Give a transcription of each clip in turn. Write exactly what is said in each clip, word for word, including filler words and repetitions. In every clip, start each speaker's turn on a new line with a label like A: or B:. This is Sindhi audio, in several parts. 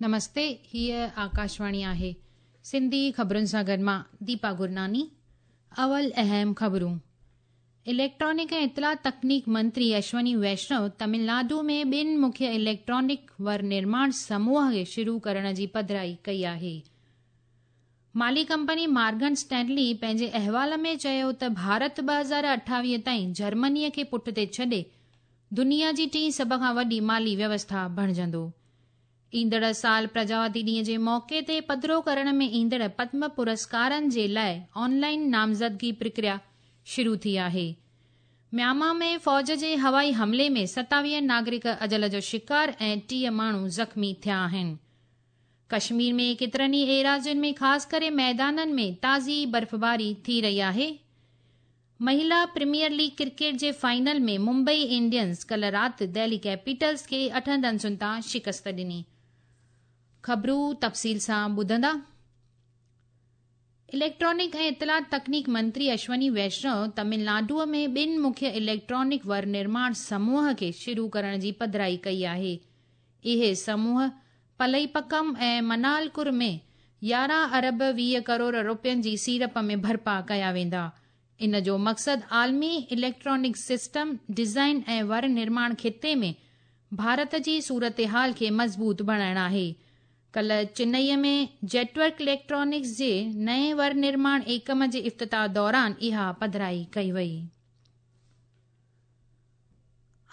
A: نمستي، هيء آڪاشواڻي آهي. سنڌي خبرن سان گڏ مان ديپا گرناني. اول اهم خبرون. اليڪٽرانڪ ۽ اطلاع تڪنيڪ منتري اشوني ويشنو تامل ناڊو ۾ ٻن مکيه اليڪٽرانڪ ور نرماڻ سموهه کي شروع ڪرڻ جي پڌرائي ڪئي آهي. مالي ڪمپني مارگن اسٽينلي پنهنجي احوال ۾ چيو ته ڀارت ٻه هزار اٺاويهه تائين جرمنيء کي پٺتي ڇڏي دنيا جي ٽين سڀ کان وڏي مالي ويوسٿا بڻجندو. ايندڙ سال پرجاوتي ڏينهن جي موقعي تي پڌرو ڪرڻ ۾ ايندڙ پدم پرسڪارن جي لاءِ آنلائن نامزدگي پرڪريا شروع ٿي آهي. ميانما ۾ فوج جي هوائي حملي ۾ ستاويهه ناگرڪ اجل جو شڪار ۽ ٽيهه ماڻهو زخمي ٿيا آهن. ڪشمير ۾ ڪيترن ئي ايراضين ۾ خاص ڪري ميدانن ۾ تازي برفباري ٿي رهي آهي. مهلا پريميئر ليگ ڪرڪيٽ جي فائنل ۾ ممبئي انڊينز ڪلهه رات دهلي ڪيپيٽلز کي اٺن رنسن تان شڪست ڏني. خبرون تفصيل سان ٻڌندا. اليڪٽرانڪ ۽ اطلاع تڪنيڪ منتري اشوني ويشنو تامل ناڊوء ۾ ٻن مکيه اليڪٽرانڪ ور نرماڻ سموهه کي شروع ڪرڻ جي پڌرائي ڪئي آهي. اهي سموهه پلئيپڪم ۽ منالڪر ۾ يارهن ارب ويهه ڪروڙ رپين جي سيڙپ ۾ برپا ڪيا ويندا. ان جو مقصد عالمي اليڪٽرانڪ سسٽم ڊزائن ۽ ور نرماڻ خطي ۾ ڀارت جي صورتحال کي مضبوط بڻائڻ آهي. ڪلهه چنئي ۾ جيٽورڪ اليڪٽرانڪس جي نئين ور نرماڻ ايڪم جي افتتاح دوران اها پڌرائي ڪئي وئي.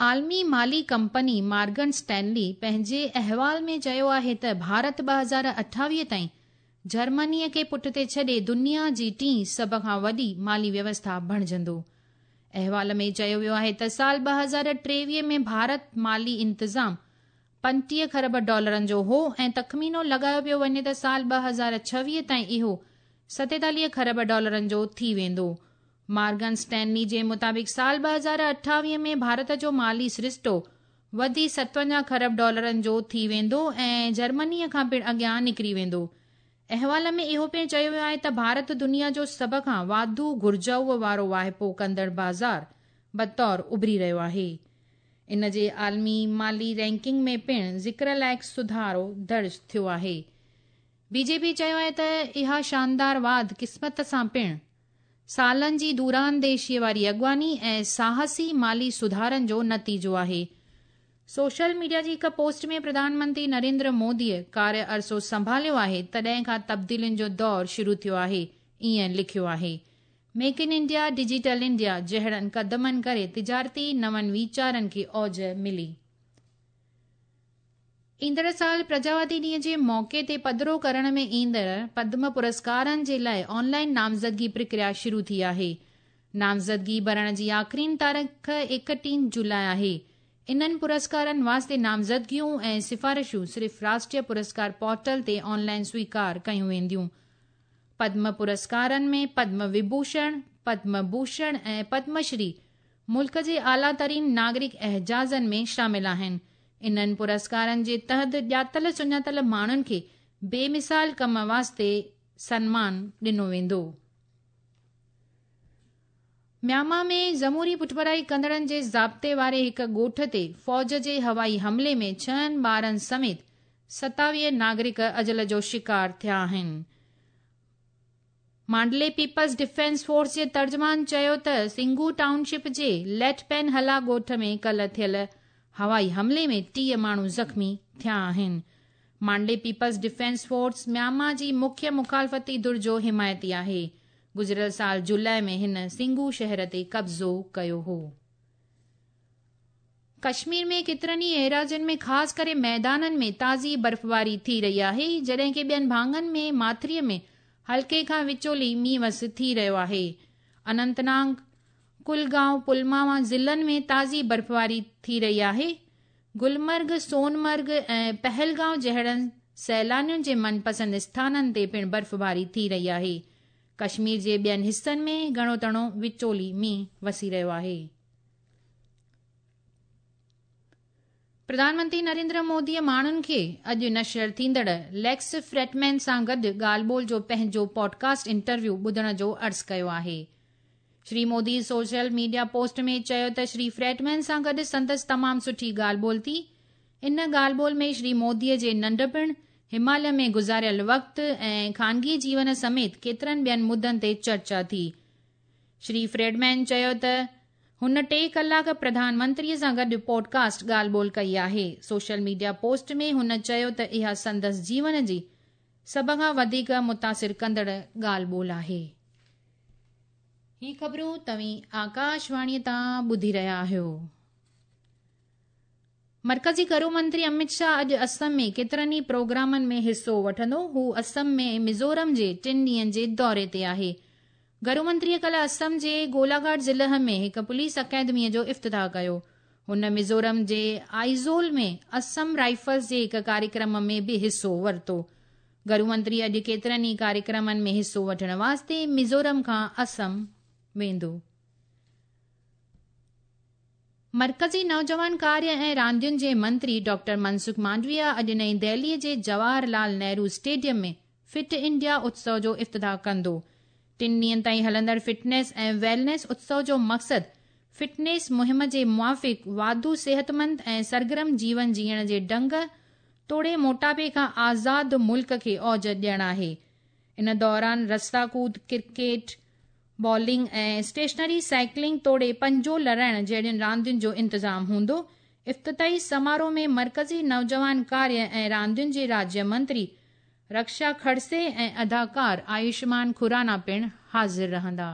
A: عالمي مالي ڪمپني مارگن اسٽينلي پنهنجي احوال ۾ چيو آهي ته ڀارت ٻه هزار اٺاويهه تائين جرمنيء کي پٺتي ڇڏي دنيا جي ٽين سڀ کان وڏي مالي ويوسٿا بڻجندو. احوال ۾ چيو ويو آهي ته سال ٻه هزار ٽيويهه ۾ ڀارت مالي انتظام پنٽيهه کرب ڊالرن جو هو ۽ تخمينو لڳايو پيو وڃي ته سال ٻه هزار ڇويهه تائين اهو ستيتاليهه کرب ڊالرن جو ٿي ويندو. مارگن اسٽينلي جي مطابق سال ٻه هزار اٺاويهه ۾ ڀارت جو مالي سرشتو وڌي ستونجاهه کرب ڊالرن جو ٿي ويندو ۽ جرمنيء کان پڻ اڳيان نڪري ويندو. احوال ۾ اهو پڻ چيو ويو آهي ته ڀارت دنيا جو سڀ کان واڌو گهرجائو وارو واهپو ڪندڙ بازار بطور اڀري رهيو آهي. ان جي عالمي مالي رينڪنگ ۾ پڻ ذڪر لائق سڌارو درج ٿيو آهي. بي جي پي چيو آهي ته اها شاندار واڌ قسمت سان پڻ سالن جي دورانديشيءَ واري اڳواڻي ۽ ساهسي مالي سڌارن جو نتيجو آهي. سوشل ميڊيا جي هڪ پوسٽ ۾ پرڌان منتري نريندر موديءَ ڪاريه عرصو سنڀاليو آهي تڏهن کان تبديلين جو دور شروع ٿيو آهي، ائين لکيو آهي. Make in India, digital India جهڙن قدمن ڪري تجارتي نون ويچارن کي اوج ملي. ايندڙ سال پرجاوتي ڏينهن جي موقعي تي پڌرو ڪرڻ ۾ ايندڙ پدم پرسڪارن جي لاءِ آنلائن نامزدگي پرڪريا شروع ٿي آهي. نامزدگي ڀرڻ جي آخرين تاريخ ايڪٽيهه جولاءِ آهي. انهن پرسڪارن واسطي نامزدگيون ۽ سفارشون صرف راشٽريه پرسڪار پورٽل تي آنلائن سويڪار ڪيون وينديون. پدم پرسڪارن ۾ پدم وڀوشڻ، پدم ڀوشڻ ۽ پدم شري ملڪ جي اعليٰ ترين ناگرڪ اعزازن ۾ شامل آهن. انهن پرسڪارن جي تحت ڄاتل سڃاتل ماڻهن کي بي مثال ڪم واسطي سنمان ڏنو ويندو. ميانما ۾ جمهوري پٺڀرائي ڪندڙن جي ضابطي واري هڪ ڳوٺ تي فوج جي هوائي حملي ۾ ڇهن ٻارن سميت ستاويهه ناگرڪ اجل جو شڪار ٿيا آهن. مانڊلي پيپلز ڊفينس فورس جي ترجمان چيو ته سنگو ٽائون شپ جي ليٽ پين هلا ڳوٺ ۾ ڪلهه ٿيل هوائي حملي ۾ ٽيهه ماڻهو زخمي ٿيا آهن. مانڊلي پيپلز ڊفينس فورس ميانما جي مکيه مخالفتي ڌر جو حمايتي آهي. گذريل سال جولاءِ ۾ هن سنگو شهر تي قبضو ڪيو هو. ڪشمير ۾ ڪيترن ئي ايراضين ۾ خاص ڪري ميدانن ۾ تازي برفباري ٿي رهي آهي، جڏهن ڪه ٻين ڀاڱن ۾ ماٿريءَ ۾ هلڪي کان وچولي مينهن وس ٿي رهيو آهي. اننت ناگ، ڪلگائون، پلواما ضلعن ۾ تازي برفباري ٿي رهي آهي. گلمرگ، سونمرگ ۽ پهلگائون جهڙن سيلانين جي من پسند اسٿانن تي پڻ برفباري ٿي رهي آهي. ڪشمير جي ٻين حصن ۾ گهڻو تڻو وچولي مينهن وسي رهيو آهي. پرڌان منتري نريندر موديءَ ماڻهن کي اڄ نشر ٿيندڙ ليڪس فريڊمين سان گڏ ڳالهه ٻولهه جو پنهنجو پوڊڪاسٽ انٽرويو ٻڌڻ جو عرض ڪيو آهي. Shri Modi social media post ۾ چيو ته شري فريڊمين سان گڏ سندس تمام سٺي ڳالهه ٻولهه ٿي. ان ڳالهه ٻولهه ۾ شري موديءَ جي ننڍپڻ، هماليه ۾ گذاريل وقت ۽ خانگي جيون سميت ڪيترن ٻين مدعن تي چرچا ٿي. شري فريڊمين چيو ته هن ٽي ڪلاڪ پرڌان منتري سان گڏ پوڊڪاسٽ ڳالهه ٻولهه ڪئي آهي. سوشل ميڊيا پوسٽ ۾ هن چيو ته اها سندس جيون جي سڀ کان وڌيڪ متاثر ڪندڙ ڳالهه ٻولهه آهي. هي خبرون توهين آڪاشواڻيء تان ٻڌي رهيا آهيو. مرڪزي گهرو منتري امت شاهه اڄ اسم ۾ ڪيترن ئي پروگرامن ۾ حصو وٺندو. هو اسم ۾ ميزورم جي ٽن ڏينهن جي دوري تي آهي. گهرو منتريء ڪالهه اسم جي گولاگهاٽ ضلع ۾ هڪ پوليس اڪيڊميء جو افتتاح ڪيو. هن ميزورم جي آئزول ۾ اسم رائفلز جي هڪ ڪاريڪرم ۾ به حصو ورتو. گهرو منتري اڄ ڪيترن ئي ڪاريڪرمن ۾ حصو وٺڻ واسطي ميزورم کان اسم ويندو. مرڪزي نوجوان ڪاريه ۽ راندين جي منتري ڊاڪٽر منسک مانڊويا اڄ نئين دهليء جي Jawahar Lal Nehru stadium ۾ fit India اتسو جو افتتاح ڪندو. ٽن ڏينهن تائين هلندڙ فٽنيس ۽ ويلنيس اتسو جو مقصد فٽنيس مهم جي موافق واڌو صحتمند ۽ سرگرم جيون جيئڻ جي ڍنگ توڙي موٽاپي کان آزاد ملڪ کي اوج ڏيڻ آهي. ان دوران رسا ڪود، ڪرڪيٽ، بالنگ ۽ اسٽيشنري سائيڪلنگ توڙي پنجو لڙائڻ جهڙين راندين جو انتظام هوندو. افتتاحي سماروهه ۾ مرڪزي نوجوان ڪاريه ۽ راندين جي راجيه منتري رڪشا کڙسي ۽ اداڪار آيوشمان کرانا پڻ حاضر رهندا.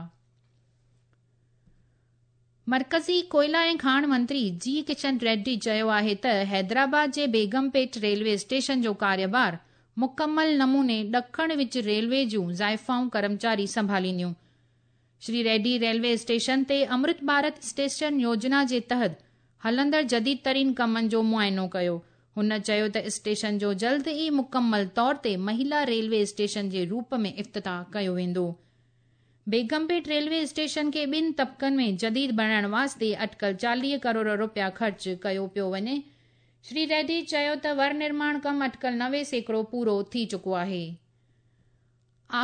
A: مرڪزي ڪوئلا ۽ کاڻ منتري جي ڪشن ريڊي چيو آهي ته حيدرآباد جي بيگم پيٽ ريلوي اسٽيشن جو ڪاريڀار مڪمل نموني ڏکڻ وچ ريلوي جون زائفائون ڪرمچاري سنڀالينديون. شري ريڊي ريلوي اسٽيشن تي امرت ڀارت اسٽيشن يوجنا جي تحت هلندڙ جديد ترين ڪمن جو معائنو ڪيو. هن چيو ته اسٽيشن جو جلد ئي مڪمل طور تي مهلا ريلوي اسٽيشن جي روپ ۾ افتتاح ڪيو ويندو. بيگم پيٽ ريلوي اسٽيشن کي ٻن طبقن ۾ جديد بڻائڻ واسطي اٽڪل چاليهه ڪروڙ رپيا خرچ ڪيو پيو وڃي. شري ريڊي چيو ته ور نرماڻ ڪم اٽڪل نوي سيڪڙو پورو ٿي چڪو آهي.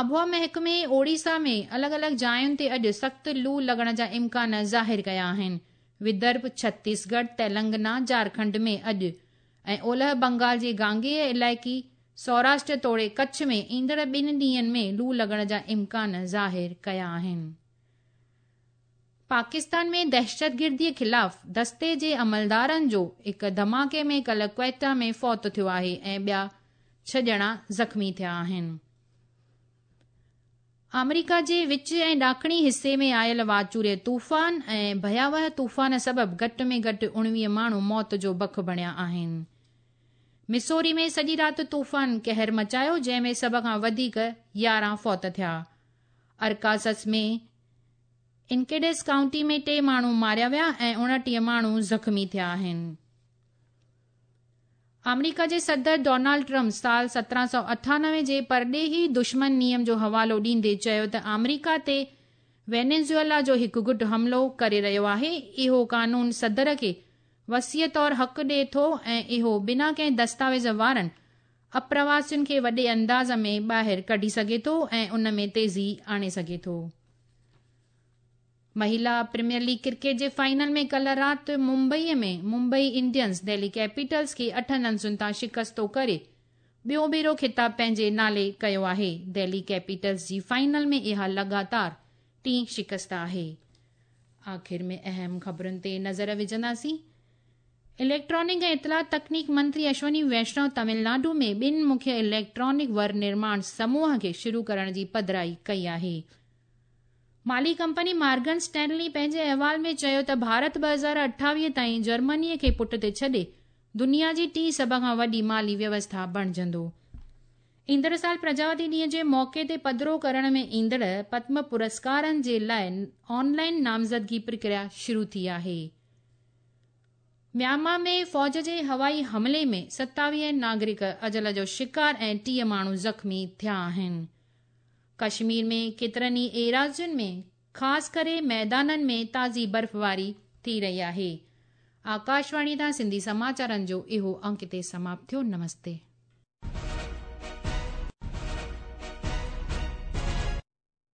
A: آبهوا محڪمي اوڙيسا ۾ الڳ الڳ جاين تي اڄ سخت لو لڳڻ جا امڪان ظاهر ڪيا آهن. ودرڀ، ڇتيسڳڙهه، تيلنگانا، جهارکنڊ ۾ اڄ ۽ اولهه بنگال جي گانگيه علائقي، سوراشٽر توڙي ڪڇ ۾ ايندڙ ٻن ڏينهن ۾ لو لڳڻ جا امڪان ظاهر ڪيا آهن. پاڪستان ۾ دهشتگرديء خلاف دستي جي عملدارن جو هڪ ڌماڪي ۾ ڪالهه ڪوئيٽا ۾ فوت ٿيو آهي ۽ ٻيا ڇهه ڄڻا زخمي ٿيا آهن. آمريڪا جي وچ ۽ ڏاکڻي حصي ۾ آيل واچوڙي طوفان ۽ ڀياوهه طوفان سبب گهٽ ۾ گهٽ اڻويهه ماڻهو موت جو بک بڻيا آهن. مسوري ۾ سڄي رات طوفان قهر مچايو، جنهن ۾ سڀ کان وڌيڪ يارهن فوت ٿيا. ارڪانسس ۾ انڪيڊس ڪائونٽي ۾ ٽي ماڻهو ماريا ويا ۽ اڻٽيهه ماڻهو زخمي ٿيا آهن. آمريڪا جي صدر ڊونالڊ ٽرمپ سال سترهن سؤ اٺانوي جي پرڏيهي دشمن نيم جو حوالو ڏيندي چيو ته آمريڪا تي وينيزويلا جو هڪ گٽ حملو ڪري رهيو آهي. اهو قانون صدر کي وسيع طور حق ڏئي ٿو ۽ اهو بنا ڪنهن دستاويز وارن اپرواسين کي وڏي انداز ۾ ٻاهر ڪڍي سگهي ٿو ۽ ان ۾ تيزي آڻي سگهي ٿو. مهلا پريميئر ليگ ڪرڪيٽ جي فائنل ۾ ڪالهه رات ممبئيء ۾ ممبئي انڊينز دهلي ڪيپيٽلز کي اٺ رنسن تان شڪستو ڪري ٻيو ڀيرو خطاب پنهنجي نالي ڪيو آهي. دهلي ڪيپيٽلز جي فائنل ۾ اها لڳاتار ٽين شڪست آهي. آخر ۾ اهم خبرن تي نظر وجهنداسين. اليڪٽرانڪ ۽ اطلاع تڪنيڪ منتري اشوني ويشنو تامل ناڊو ۾ ٻن مکيه اليڪٽرانڪ ور نرماڻ سموهه کي شروع ڪرڻ جي پڌرائي ڪئي آهي. مالي ڪمپني مارگن اسٽينلي پنهنجي احوال ۾ چيو ته ڀارت ٻه هزار اٺاويهه تائين جرمنيء کي پٺ تي ڇڏي دنيا جي ٽين سڀ کان وڏي مالي ويوسٿا بڻجندو. ايندڙ سال پرجاوتي ڏينهن جي موقعي تي پڌرو ڪرڻ ۾ ايندڙ پدم پرسڪارن جي لاءِ آنلائن نامزدگي پرڪريا شروع ٿي آهي. ميانمار ۾ فوج جي هوائي حملي ۾ ستاويهه ناگرڪ اجل جو شڪار ۽ ٽيهه ماڻهو زخمي ٿيا آهن. ڪشمير ۾ ڪيترن ئي ايراضين ۾ خاص ڪري ميدانن ۾ تازي برفباري ٿي رهي آهي. آڪاشواڻي تان سنڌي سماچارن جو اهو انڪ هتي سماپت ٿيو. نمستي.